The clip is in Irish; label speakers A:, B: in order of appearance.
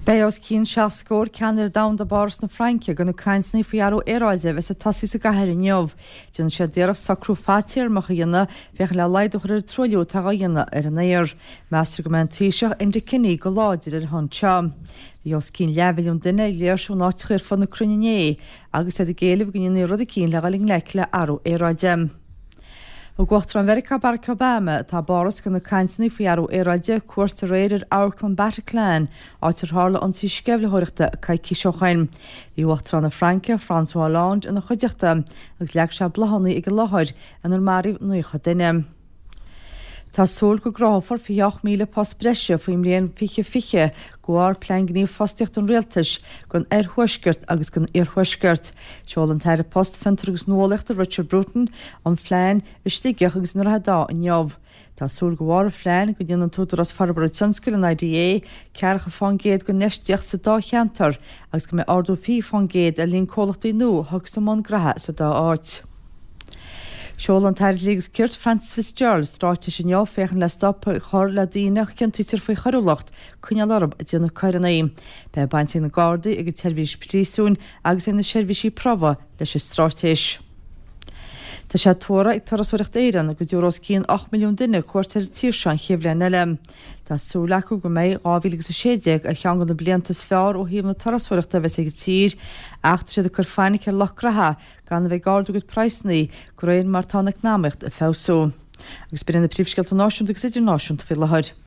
A: Beidh os cionn 7 scór ceannaire domhanda i bPáras na Fraince do na cainteanna faoi athrú aeráide a bheas ag tosaí sa gcathair inniu. Déanfaidh siad iarracht socrú fadtéarmach a dhéanamh féachaint le laghdú a chur ar an truailliú atá á dhéanamh ar an aer. Meastar go mbeidh an Taoiseach Enda Kenny go láidir ar a shon seo. Bhí os cionn leathmhilliún duine ag léirsiú in áiteacha ar fud na cruinne inné agus iad ag éileamh go ndéanfaí rud eicínt le dhul i ngleic le athrú aeráide. Thug Uachtarán Mheiriceá Barack Obama, atá i bPáras do na cainteanna faoi athrú aeráide, cuairt aréir ar amharclann Bataclan, áit ar tharla ionsaí sceimhlitheoireachta coicís ó shoin. Bhí Uachtarán na Fraince, François Hollande, ina chuideachta agus leag sé bláthanna ag an láthair inar maraíodh 90 duine. Tá súil go gcruthófar 28,000 post breise faoin mbliain 2020 de bharr Plean Gnímh Fostaíochta an Rialtais don Oirthuaisceart agus don Iarthuaisceart. Sheol an tAire Post, Fiontar agus Nuálaíochta Richard Bruton an phlean i Sligeach agus i nDroichead Átha inniu. Tá súil de bharr an phlean go ndéanfaidh an tÚdarás Forbartha Tionscail, an IDA, ceathracha fán gcéad den infheistíocht sa dá cheantar agus go mbeidh ardú 20 fán gcéad ar líon comhlachtaí nua a thiocfas i mbun graithe sa dá áit. Sheol an tAire Dlí agus Cirt, Frances Fitzgerald, straitéis inniu féachaint le stop a chur le daoine a chiontaítear faoi choiriúlacht coinneáil orthu ag déanamh coireanna. Beidh baint ag na Gardaí, ag an tSeirbhís Phríosúin agus ag na seirbhísí promhaidh leis an straitéis. Tá sé tuartha ag Turasóireacht Éireann go dtabharfaidh os cionn 8 milliún duine cuairt ar an tír seo an chéad bhliain eile. Tá súil acu go mbeidh 2016 ar cheann de na blianta is fearr ó thaobh na turasóireachta a bheas ag an tír ach tá siad ag cur fainic ar lucht graithe gan a bheith ag ardú a gcuid praghsanna de réir mar atá an eacnamaíocht ag feabhsú. Agus b'in iad na príomhscéalta náisiúnta agus idirnáisiúnta faoi láthair.